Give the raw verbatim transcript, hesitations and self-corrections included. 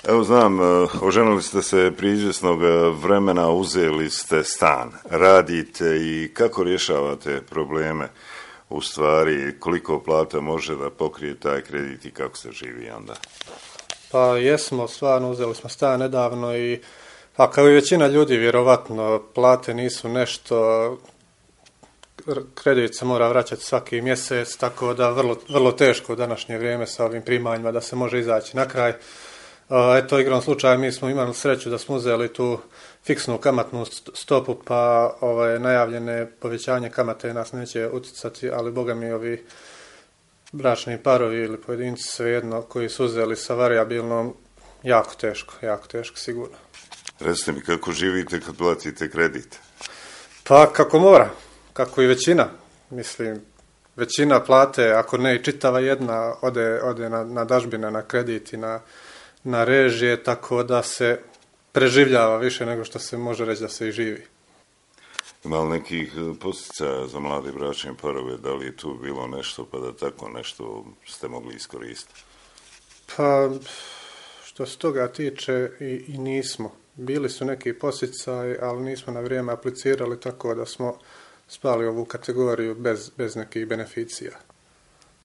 Evo znam, oženili ste se prije izvjesnog vremena, uzeli ste stan, radite i kako rješavate probleme, u stvari koliko plata može da pokrije taj kredit i kako se živi onda? Pa jesmo, stvarno uzeli smo stan nedavno i a kao i većina ljudi vjerovatno plate nisu nešto, kredit se mora vraćati svaki mjesec, tako da vrlo, vrlo teško u današnje vrijeme sa ovim primanjima da se može izaći na kraj. Eto, igrom slučaja mi smo imali sreću da smo uzeli tu fiksnu kamatnu stopu, pa ovaj, najavljene povećanje kamate nas neće utjecati, ali boga mi ovi bračni parovi ili pojedinci svejedno koji su uzeli sa varijabilnom, jako teško, jako teško sigurno. Recite mi kako živite kad platite kredit? Pa kako mora, kako i većina, mislim, većina plate, ako ne i čitava jedna, ode, ode na, na dažbine, na kredit i na na režije, tako da se preživljava više nego što se može reći da se i živi. Ima li nekih poticaja za mlade bračne parove, da li je tu bilo nešto pa da tako nešto ste mogli iskoristiti? Pa, što se toga tiče i, i nismo. Bili su neki poticaji, ali nismo na vrijeme aplicirali, tako da smo spali ovu kategoriju bez, bez nekih beneficija.